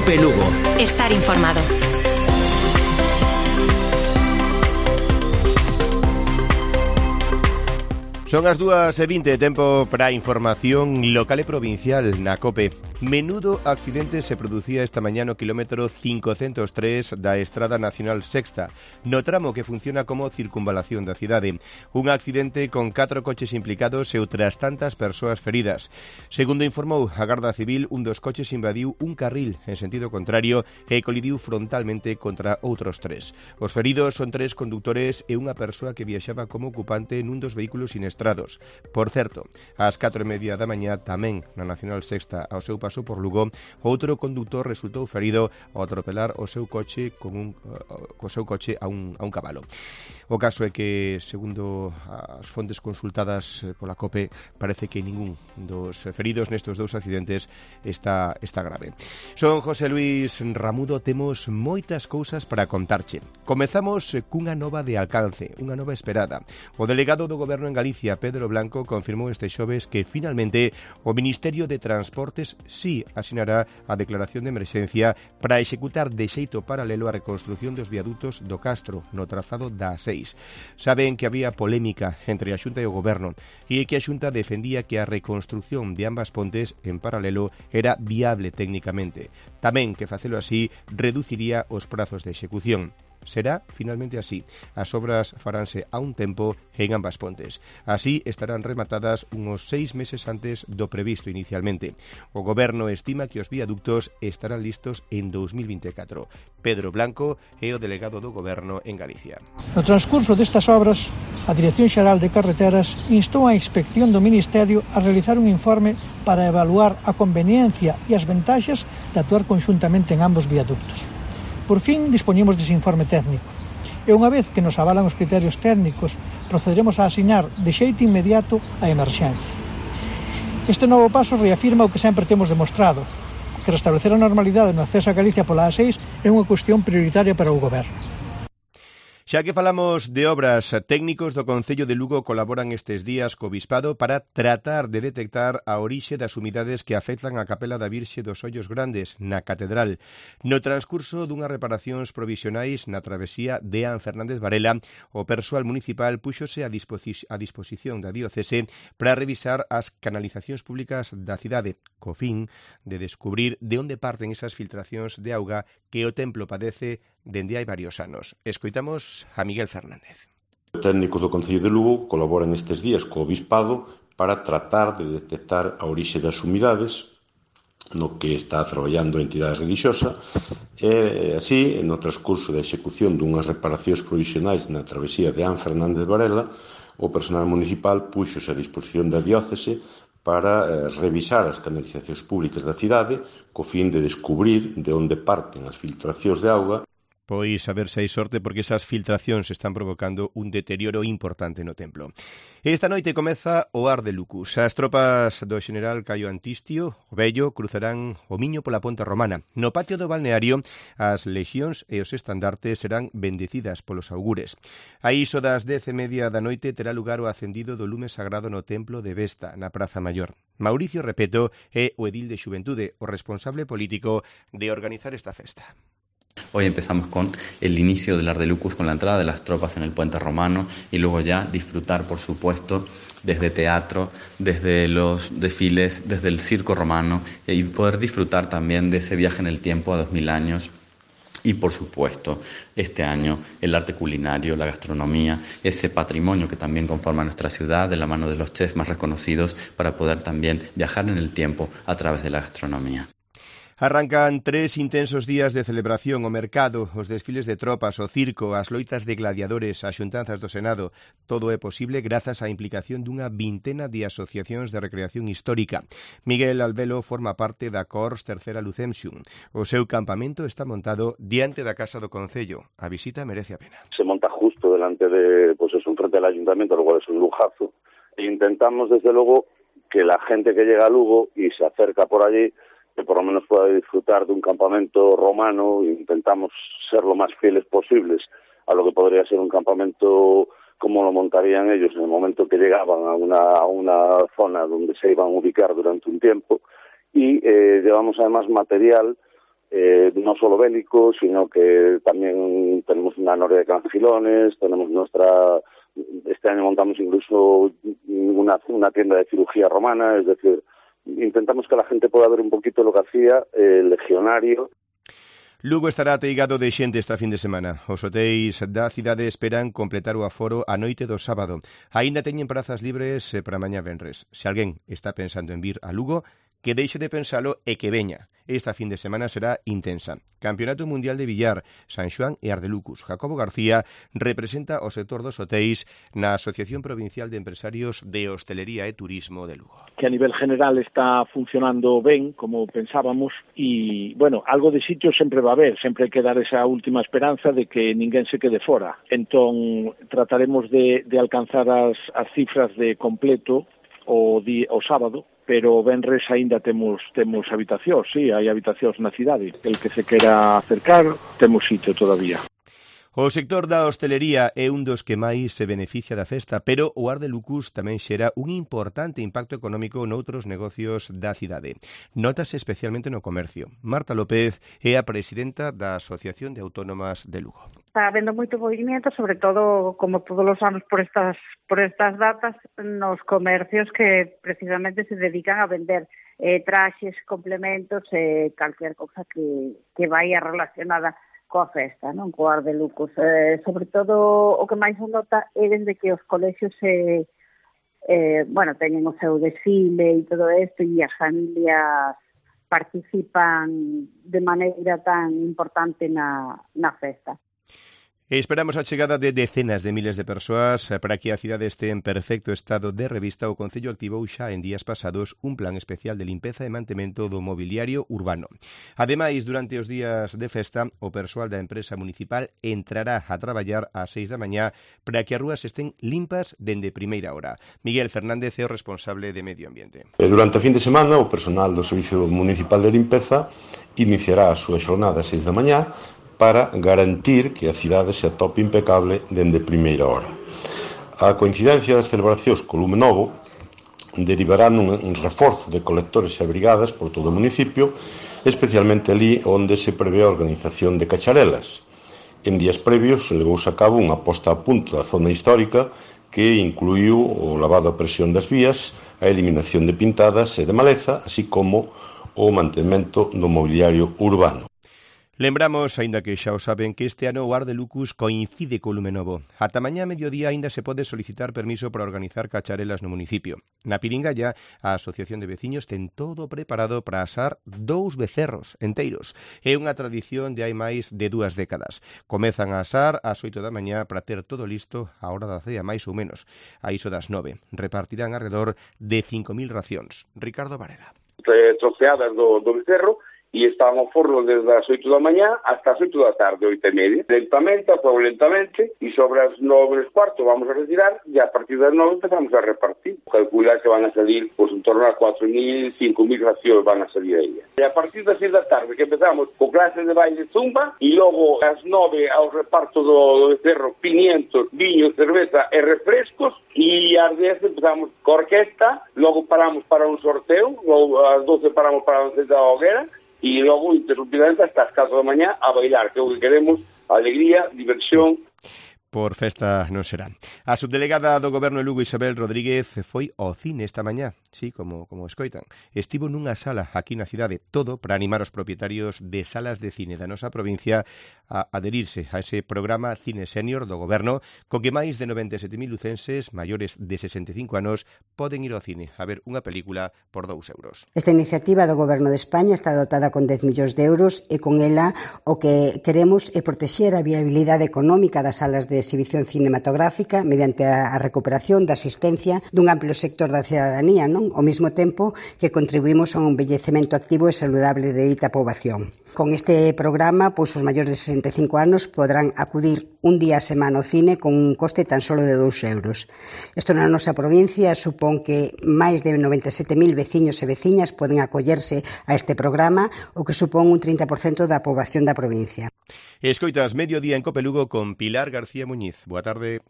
COPE Lugo. Estar informado. Son as 2:20, tempo para a información local e provincial na COPE. Menudo accidente se producía esta mañá no kilómetro 503 da Estrada Nacional Sexta, no tramo que funciona como circunvalación da cidade. Un accidente con 4 coches implicados e outras tantas persoas feridas. Segundo informou a Garda Civil, un dos coches invadiu un carril en sentido contrario e colidiu frontalmente contra outros 3. Os feridos son 3 condutores e unha persoa que viaxaba como ocupante nun dos vehículos sinestrados. Por certo, ás 4:30 da mañá tamén na Nacional Sexta, ao seu paso por Lugo, outro condutor resultou ferido ao atropelar o seu coche a un cabalo. O caso é que, segundo as fontes consultadas pola COPE, parece que ningún dos feridos nestes dous accidentes está grave. Son José Luis Ramudo, temos moitas cousas para contarche. Comezamos cunha nova de alcance, unha nova esperada. O delegado do Goberno en Galicia, Pedro Blanco, confirmou este xoves que finalmente o Ministerio de Transportes sí asinará a declaración de emerxencia para executar de xeito paralelo a reconstrución dos viadutos do Castro no trazado da A6. Saben que había polémica entre a Xunta e o Goberno e que a Xunta defendía que a reconstrución de ambas pontes en paralelo era viable técnicamente. Tamén que facelo así reduciría os prazos de execución. Será finalmente así. As obras faránse a un tempo en ambas pontes. Así estarán rematadas unos 6 meses antes do previsto inicialmente. O Goberno estima que os viaductos estarán listos en 2024. Pedro Blanco é o delegado do Goberno en Galicia. No transcurso destas obras, a Dirección Xeral de Carreteras instou a Inspección do Ministerio a realizar un informe para evaluar a conveniencia e as ventaxas de actuar conxuntamente en ambos viaductos. Por fin dispoñemos dese informe técnico e unha vez que nos avalan os criterios técnicos procederemos a asinar de xeito inmediato a emerxencia. Este novo paso reafirma o que sempre temos demostrado, que restablecer a normalidade no acceso a Galicia pola A6 é unha cuestión prioritaria para o Goberno. Xa que falamos de obras, técnicos do Concello de Lugo colaboran estes días co Bispado para tratar de detectar a orixe das umidades que afectan a Capela da Virxe dos Ollos Grandes, na Catedral. No transcurso dunhas reparacións provisionais na travesía de An Fernández Varela, o persoal municipal púxose a disposición da diocese para revisar as canalizacións públicas da cidade, co fin de descubrir de onde parten esas filtracións de auga que o templo padece dende hai varios anos. Escoitamos a Miguel Fernández. Os técnicos do Concello de Lugo colaboran estes días co Obispado para tratar de detectar a orixe das umidades no que está traballando a entidade religiosa e así, no transcurso da execución dunhas reparacións provisionais na travesía de An Fernández Varela, o personal municipal púxose a disposición da diócese para revisar as canalizacións públicas da cidade co fin de descubrir de onde parten as filtracións de auga. Pois a ver se hai sorte porque esas filtracións están provocando un deterioro importante no templo. Esta noite comeza o Ar de Lucus. As tropas do xeneral Caio Antistio, o Vello, cruzarán o Miño pola Ponte Romana. No patio do balneario, as lexións e os estandartes serán bendecidas polos augures. A iso das 10:30 da noite terá lugar o acendido do lume sagrado no templo de Vesta, na Praza Maior. Mauricio Repeto é o edil de Xuventude, o responsable político de organizar esta festa. Hoy empezamos con el inicio del Ar de Lucus, con la entrada de las tropas en el puente romano y luego ya disfrutar, por supuesto, desde teatro, desde los desfiles, desde el circo romano y poder disfrutar también de ese viaje en el tiempo a 2000 años. Y, por supuesto, este año el arte culinario, la gastronomía, ese patrimonio que también conforma nuestra ciudad de la mano de los chefs más reconocidos para poder también viajar en el tiempo a través de la gastronomía. Arrancan 3 intensos días de celebración, o mercado, os desfiles de tropas, o circo, as loitas de gladiadores, as xuntanzas do Senado. Todo é posible grazas á implicación dunha vintena de asociacións de recreación histórica. Miguel Albelo forma parte da Cors Tercera Lucemsium. O seu campamento está montado diante da Casa do Concello. A visita merece a pena. Se monta justo delante de, pues eso, enfrente del ayuntamiento, lo cual es un lujazo. E intentamos, desde luego, que la gente que llega a Lugo y se acerca por allí que por lo menos pueda disfrutar de un campamento romano. Intentamos ser lo más fieles posibles a lo que podría ser un campamento como lo montarían ellos en el momento que llegaban a una zona donde se iban a ubicar durante un tiempo. Y llevamos además material no solo bélico, sino que también tenemos una noria de cangilones, tenemos este año montamos incluso una tienda de cirugía romana, es decir, intentamos que la gente pueda ver un poquito lo que hacía el legionario. Lugo estará ateigado de xente esta fin de semana. Os hotéis da cidade esperan completar o aforo a noite do sábado. Aínda teñen prazas libres para mañá venres. Se alguén está pensando en vir a Lugo, que deixe de pensalo e que veña. Esta fin de semana será intensa. Campeonato Mundial de Billar, San Xoán e Ardelucus. Jacobo García representa o sector dos hotéis na Asociación Provincial de Empresarios de Hostelería e Turismo de Lugo. Que a nivel general está funcionando ben, como pensábamos, e, bueno, algo de sitio sempre va a haber, sempre hai que dar esa última esperanza de que ninguén se quede fora. Entón, trataremos de alcanzar as cifras de completo o sábado, pero venres aínda temos habitacións, sí, hai habitacións na cidade. El que se quera acercar, temos sitio todavía. O sector da hostelería é un dos que máis se beneficia da festa, pero o Ardelucus tamén xera un importante impacto económico noutros negocios da cidade. Notase especialmente no comercio. Marta López é a presidenta da Asociación de Autónomas de Lugo. Está habendo moito movimento, sobre todo, como todos os anos por estas datas, nos comercios que precisamente se dedican a vender traxes, complementos, calquer cousa que vai relacionada coa festa, non? Coa Ardelucus. Sobre todo, o que máis se nota é desde que os colexios teñen o seu desfile e todo isto, e as familias participan de maneira tan importante na festa. Esperamos a chegada de decenas de miles de persoas para que a cidade este en perfecto estado de revista. O Concello activou xa en días pasados un plan especial de limpeza e mantemento do mobiliario urbano. Ademais, durante os días de festa, o persoal da empresa municipal entrará a traballar ás 6 da mañá para que as rúas estén limpas dende primeira hora. Miguel Fernández é o responsable de Medio Ambiente. Durante a fin de semana, o personal do Servicio Municipal de Limpeza iniciará a súa xornada ás 6 da mañá para garantir que a cidade se atope impecable dende primeira hora. A coincidencia das celebracións co lume novo derivará nun reforzo de colectores e brigadas por todo o municipio, especialmente ali onde se prevé a organización de cacharelas. En días previos levouse a cabo unha posta a punto da zona histórica que incluiu o lavado a presión das vías, a eliminación de pintadas e de maleza, así como o mantemento do mobiliario urbano. Lembramos, aínda que xa o saben, que este ano o Ardelucus coincide co lume novo. Ata mañá mediodía aínda se pode solicitar permiso para organizar cacharelas no municipio. Na Piringalla, a Asociación de Veciños ten todo preparado para asar 2 becerros enteiros. É unha tradición de hai máis de 2 décadas. Comezan a asar ás 8 da mañá para ter todo listo á hora da cea, máis ou menos. A iso das 9. Repartirán alrededor de 5.000 racións. Ricardo Varela. Troceadas do becerro, e estaban ao forno desde as 8 da mañá hasta as 8 da tarde, 8:30. Lentamente, e sobre as 9:15 vamos a retirar, e a partir das 9 empezamos a repartir. Calcular que van a salir, en torno a 4.000, 5.000 racións van a salir aí. E a partir das 6 da tarde que empezamos con clases de baile zumba, e logo ás 9 ao reparto do becerro, pimientos, viño, cerveza e refrescos, e ás 10 empezamos con orquesta, logo paramos para un sorteo, logo ás 12 paramos para a da hoguera, e logo interrumpidamente hasta as 4 da mañá a bailar, que é o que queremos, alegría, diversión. Por festa non será. A subdelegada do Goberno de Lugo, Isabel Rodríguez, foi ao cine esta mañá, sí, como escoitan. Estivo nunha sala aquí na cidade, todo para animar os propietarios de salas de cine da nosa provincia a adherirse a ese programa Cine Senior do Goberno, co que máis de 97.000 lucenses maiores de 65 anos poden ir ao cine a ver unha película por 2 euros. Esta iniciativa do Goberno de España está dotada con 10 millóns de euros e con ela o que queremos é protexer a viabilidade económica das salas de exhibición cinematográfica mediante a recuperación da asistencia dun amplio sector da cidadanía, non? Ao mesmo tempo que contribuímos a un envellecemento activo e saludable de dita poboación. Con este programa, os maiores de 65 anos podrán acudir un día a semana ao cine con un coste tan solo de 2 euros. Isto na nosa provincia supón que máis de 97.000 veciños e veciñas poden acollerse a este programa, o que supón un 30% da poboación da provincia. Escoitas Mediodía en Cope Lugo con Pilar García Muñiz. Boa tarde.